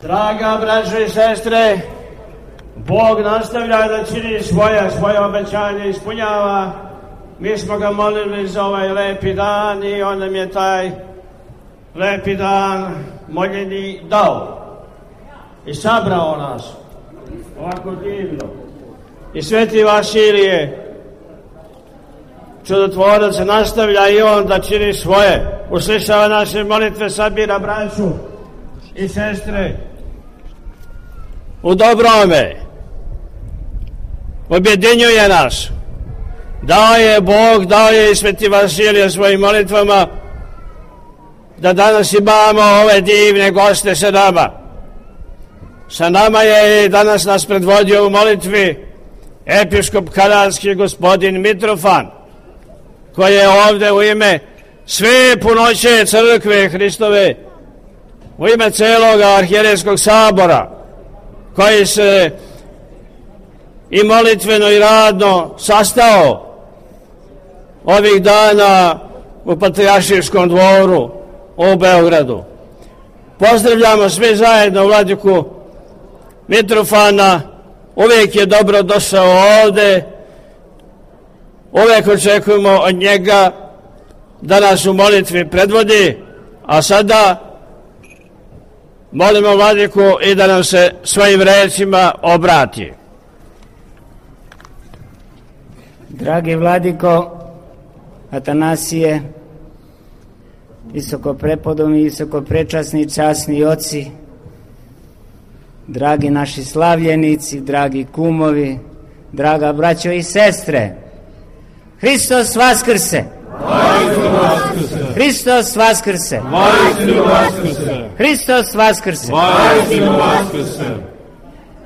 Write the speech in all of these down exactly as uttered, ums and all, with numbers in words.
Draga braćo i sestre, Bog nastavlja da čini svoje, svoje obećanje ispunjava. Mi smo ga molili za ovaj lepi dan i on nam je taj lepi dan moljeni dao i sabrao nas ovako divno. I sveti Vasilije, čudotvorac, nastavlja i on da čini svoje, uslišava naše molitve, sabira braću i sestre u dobrome, objedinjuje nas. Dao je Bog, dao je i sveti Vasilije svojim molitvama da danas imamo ove divne goste sa nama. Sa nama je i danas nas predvodio u molitvi episkop Karanski gospodin Mitrofan, koji je ovde u ime sve punoće crkve Hristove, u ime celoga arhijerejskog sabora, koji se i molitveno i radno sastao ovih dana u Patrijaršijskom dvoru u Beogradu. Pozdravljamo svi zajedno vladiku Mitrofana, uvijek je dobro došao ovde, uvijek očekujemo od njega da nas u molitvi predvodi, a sada molimo vladiku i da nam se svojim rečima obrati. Dragi vladiko Atanasije, visoko prepodobni, visoko prečasni, časni oci, dragi naši slavljenici, dragi kumovi, draga braćo i sestre, Hristos vaskrse! Hristos vaskrse! Hristos vaskrse!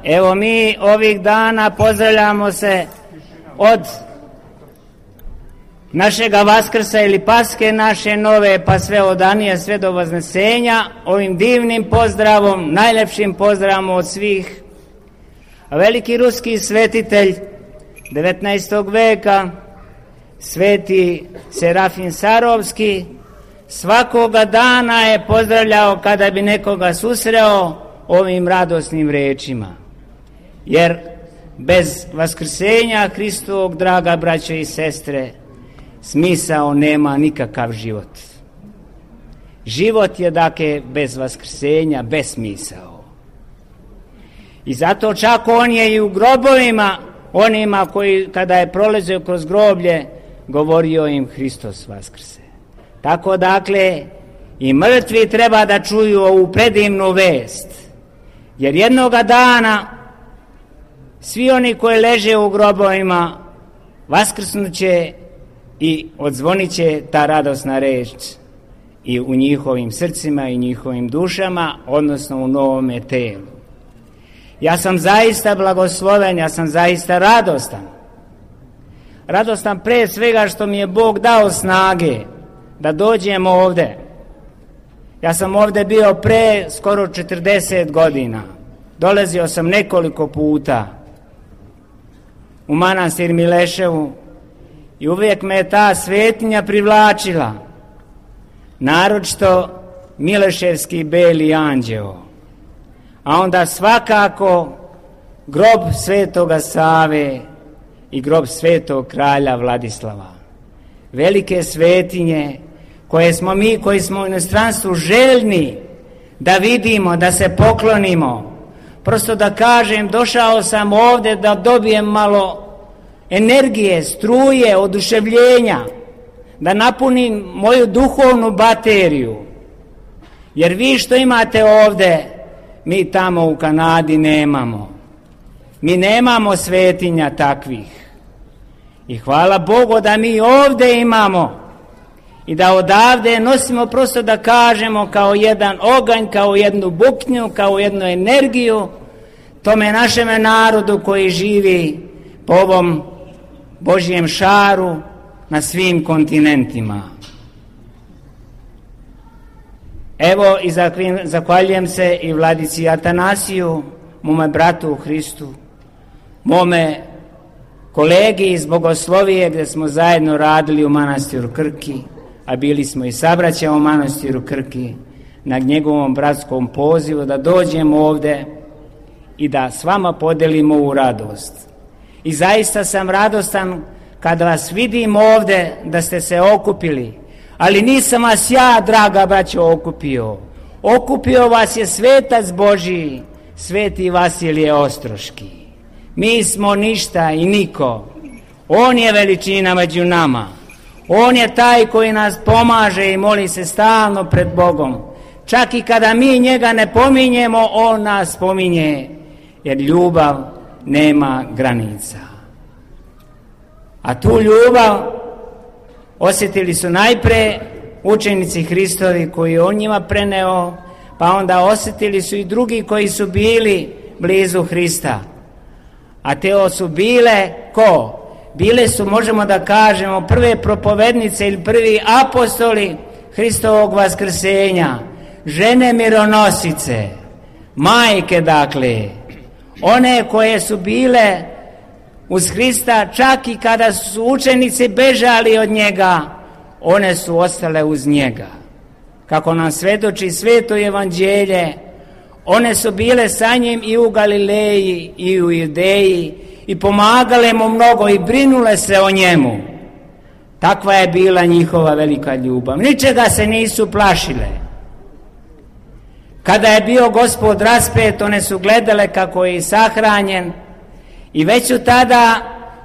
Evo mi ovih dana pozdravljamo se od našega vaskrsa ili paske naše nove, pa sve od Anije, sve do Vaznesenja, ovim divnim pozdravom, najlepšim pozdravom od svih. A veliki ruski svetitelj devetnaestog veka, sveti Serafin Sarovski, svakoga dana je pozdravljao kada bi nekoga susreo ovim radosnim rečima. Jer bez vaskrsenja Hristovog, draga braćo i sestre, smisao nema nikakav život. Život je dakle bez vaskrsenja, bez smisao. I zato čak on je i u grobovima, onima koji kada je prolazio kroz groblje, govorio im Hristos vaskrse. Tako dakle i mrtvi treba da čuju ovu predivnu vest, jer jednoga dana svi oni koji leže u grobovima vaskrsnuće i odzvonit će ta radosna reč i u njihovim srcima i njihovim dušama, odnosno u novome telu. Ja sam zaista blagosloven, ja sam zaista radostan. Radostan pre svega što mi je Bog dao snage da dođem ovde. Ja sam ovde bio pre skoro četrdeset godina. Dolazio sam nekoliko puta u manastir Mileševu i uvijek me je ta svetinja privlačila. Naročito Mileševski beli anđeo. A onda svakako grob svetoga Save i grob svetog kralja Vladislava. Velike svetinje koje smo mi, koji smo u inostranstvu željni da vidimo, da se poklonimo. Prosto da kažem, došao sam ovde da dobijem malo energije, struje, oduševljenja, da napunim moju duhovnu bateriju. Jer vi što imate ovde, mi tamo u Kanadi nemamo. Mi nemamo svetinja takvih. I hvala Bogu da mi ovde imamo i da odavde nosimo, prosto da kažemo, kao jedan oganj, kao jednu buknju, kao jednu energiju tome našeme narodu koji živi po ovom Božjem šaru na svim kontinentima. Evo i zahvaljujem se i vladici Atanasiju, mome bratu u Hristu, mome kolegi iz Bogoslovije gdje smo zajedno radili u manastiru Krki, a bili smo i sabraća u manastiru Krki, na njegovom bratskom pozivu da dođemo ovdje i da s vama podelimo ovu radost. I zaista sam radostan kada vas vidim ovdje da ste se okupili, ali nisam vas ja, draga braćo, okupio. Okupio vas je Svetac Božji, Sveti Vasilije Ostroški. Mi smo ništa i niko. On je veličina među nama. On je taj koji nas pomaže i moli se stalno pred Bogom. Čak i kada mi njega ne pominjemo, on nas pominje, jer ljubav nema granica. A tu ljubav osjetili su najpre učenici Hristovi koji je on njima preneo, pa onda osjetili su i drugi koji su bili blizu Hrista. A te su bile ko? Bile su, možemo da kažemo, prve propovednice ili prvi apostoli Hristovog vaskrsenja, žene mironosice, majke dakle, one koje su bile uz Hrista čak i kada su učenici bežali od njega, one su ostale uz njega. Kako nam svedoči Sveto evanđelje, one su bile sa njim i u Galileji i u Judeji i pomagale mu mnogo i brinule se o njemu. Takva je bila njihova velika ljubav. Ničega se nisu plašile. Kada je bio Gospod raspet, one su gledale kako je sahranjen i već su tada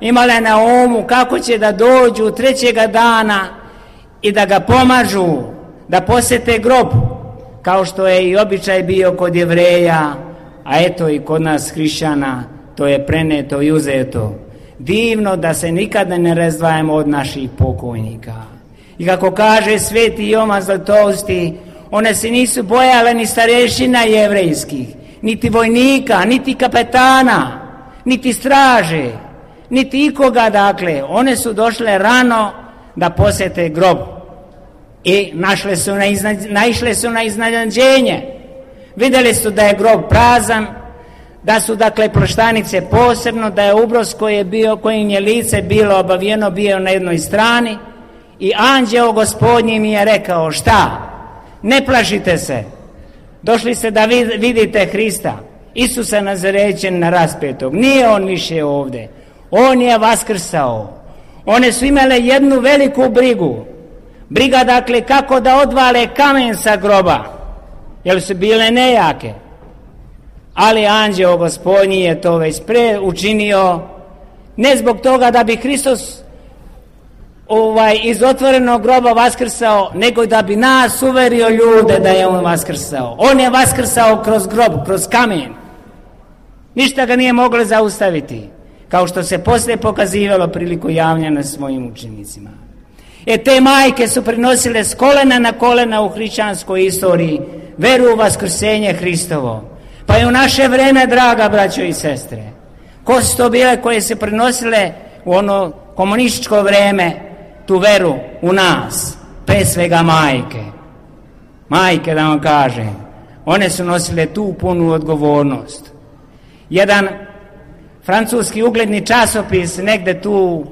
imale na umu kako će da dođu trećega dana i da ga pomažu, da posjete grob, kao što je i običaj bio kod Jevreja, a eto i kod nas hrišćana, to je preneto i uzeto. Divno da se nikada ne razdvajamo od naših pokojnika. I kako kaže Sveti Jovan Zlatousti, one se nisu bojale ni starešina jevrejskih, niti vojnika, niti kapetana, niti straže, niti ikoga, dakle. One su došle rano da posjete grob i našle su na iznad, naišle su na iznenađenje. Vidjeli su da je grob prazan, da su dakle plaštanice posebno, da je ubros koji je bio, kojim je lice bilo obavijeno bio na jednoj strani i anđeo Gospodnji mi je rekao: šta? Ne plašite se, došli ste da vidite Hrista, Isusa Nazarećena raspetog. Nije on više ovdje, on je vaskrsao. One su imale jednu veliku brigu, briga dakle kako da odvale kamen sa groba, jer su bile nejake. Ali anđeo Gospodnji je to već pre učinio, ne zbog toga da bi Hristos ovaj, iz otvorenog groba vaskrsao, nego da bi nas uverio ljude da je on vaskrsao. On je vaskrsao kroz grob, kroz kamen. Ništa ga nije moglo zaustaviti, kao što se poslije pokazivalo priliku javljanja svojim učenicima. E te majke su prinosile s kolena na kolena u hrišćanskoj istoriji veru u vaskrsenje Hristovo. Pa i u naše vreme, draga braćo i sestre, ko su to bile koje se prenosile u ono komunističko vreme tu veru u nas? Pre svega majke. Majke, da vam kažem, one su nosile tu punu odgovornost. Jedan francuski ugledni časopis negde tu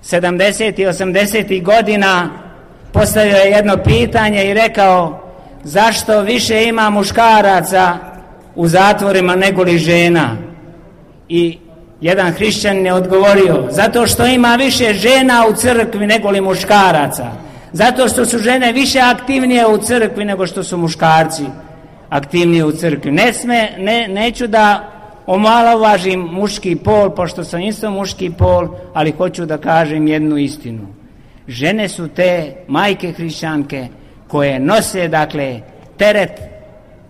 sedamdesetih i osamdesetih godina postavio je jedno pitanje i rekao: zašto više ima muškaraca u zatvorima nego li žena? I jedan hrišćanin je odgovorio: zato što ima više žena u crkvi nego li muškaraca, zato što su žene više aktivnije u crkvi nego što su muškarci aktivnije u crkvi. Ne sme, ne, neću da omalovažim muški pol, pošto sam isto muški pol, ali hoću da kažem jednu istinu. Žene su te majke hrišćanke koje nose dakle teret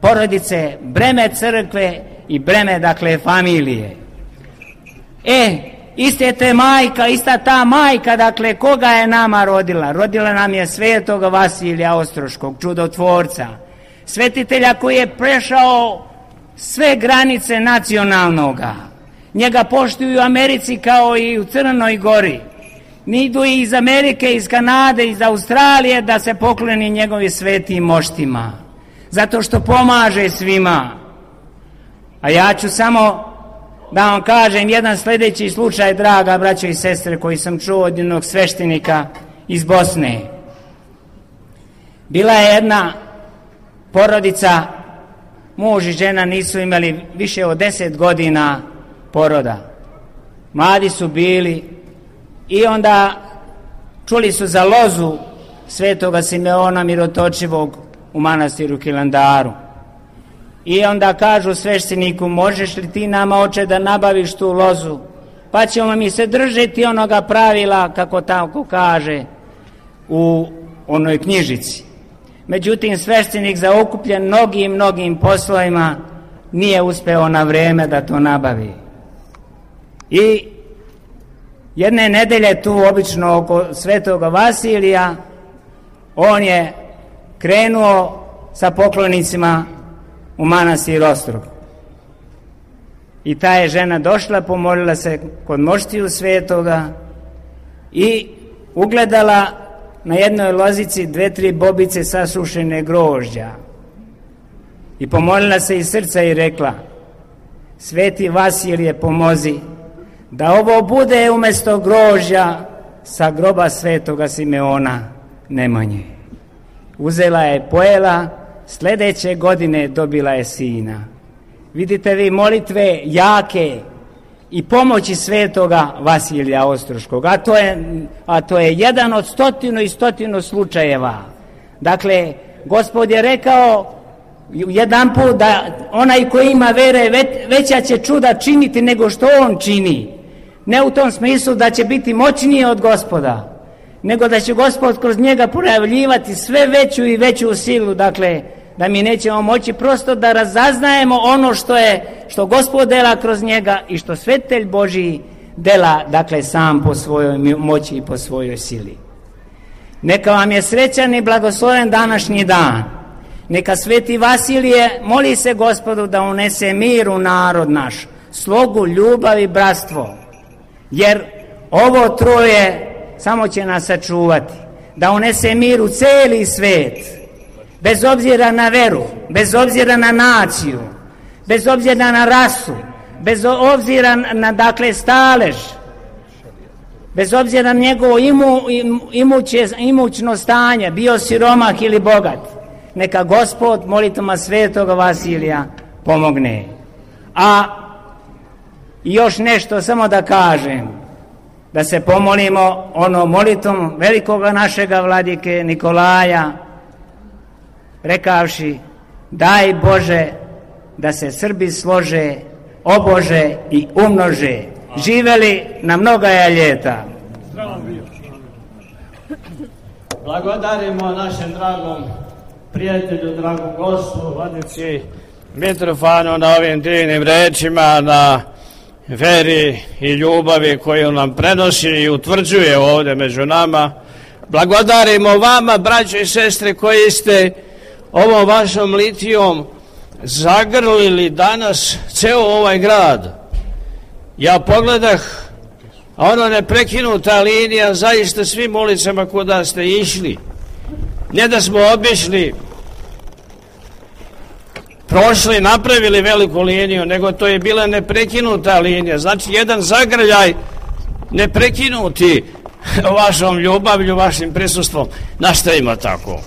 porodice, breme crkve i breme dakle familije. E, iste te majka, ista ta majka, dakle, koga je nama rodila? Rodila nam je Svetoga Vasilija Ostroškog, čudotvorca, svetitelja koji je prešao sve granice nacionalnoga. Njega poštuju u Americi kao i u Crnoj Gori. Idu i iz Amerike, iz Kanade, iz Australije da se pokloni njegovi svetim moštima, zato što pomaže svima. A ja ću samo da vam kažem jedan sljedeći slučaj, draga braćo i sestre, koji sam čuo od jednog sveštenika iz Bosne. Bila je jedna porodica, muž i žena nisu imali više od deset godina poroda. Mladi su bili i onda čuli su za lozu svetoga Simeona Mirotočivog u manastiru Hilandaru. I onda kažu svešteniku, možeš li ti nama, oče, da nabaviš tu lozu, pa ćemo mi se držati onoga pravila, kako tako kaže u onoj knjižici. Međutim, sveštenik zaokupljen mnogim, mnogim poslovima nije uspeo na vrijeme da to nabavi. I jedne nedelje tu, obično oko svetoga Vasilija, on je krenuo sa poklonicima u manastir Ostrog. I ta je žena došla, pomolila se kod moštiju svetoga i ugledala na jednoj lozici dve, tri bobice sasušene grožđa. I pomolila se iz srca i rekla, sveti Vasilije, pomozi da ovo bude umjesto grožđa sa groba svetoga Simeona Nemanje. Uzela je, pojela, sljedeće godine dobila je sina. Vidite vi molitve jake i pomoći svetoga Vasilija Ostroškog, a to je, a to je jedan od stotinu i stotinu slučajeva. Dakle, Gospod je rekao jedan put da onaj koji ima vere veća će čuda činiti nego što on čini. Ne u tom smislu da će biti moćniji od Gospoda, nego da će Gospod kroz njega projavljivati sve veću i veću silu. Dakle, da mi nećemo moći prosto da razaznajemo ono što je, što Gospod dela kroz njega i što Svetelj Božji dela, dakle, sam po svojoj moći i po svojoj sili. Neka vam je srećan i blagosloven današnji dan. Neka sveti Vasilije moli se Gospodu da unese mir u narod naš, slogu, ljubav i bratstvo, jer ovo troje samo će nas sačuvati. Da unese mir u cijeli svijet, bez obzira na veru, bez obzira na naciju, bez obzira na rasu, bez obzira na, dakle, stalež, bez obzira na njegovo imu, imuće, imućno stanje, bio siromah ili bogat. Neka Gospod molitvama svetoga Vasilija pomogne. A još nešto samo da kažem, da se pomolimo ono molitvom velikoga našega vladike Nikolaja, rekavši, daj Bože da se Srbi slože, obože i umnože. Živeli na mnogaja ljeta. Blagodarimo našem dragom prijatelju, dragom gostu, vladici Mitrofanu, na ovim divnim rečima, na veri i ljubavi koju nam prenosi i utvrđuje ovdje među nama. Blagodarimo vama, braćo i sestre, koji ste ovom vašom litijom zagrlili danas ceo ovaj grad. Ja pogledah, a ono neprekinuta linija zaista svim ulicama kuda ste išli. Ne da smo obišli, prošli, napravili veliku liniju, nego to je bila neprekinuta linija. Znači, jedan zagrljaj neprekinuti vašom ljubavlju, vašim prisustvom. Nastavimo tako.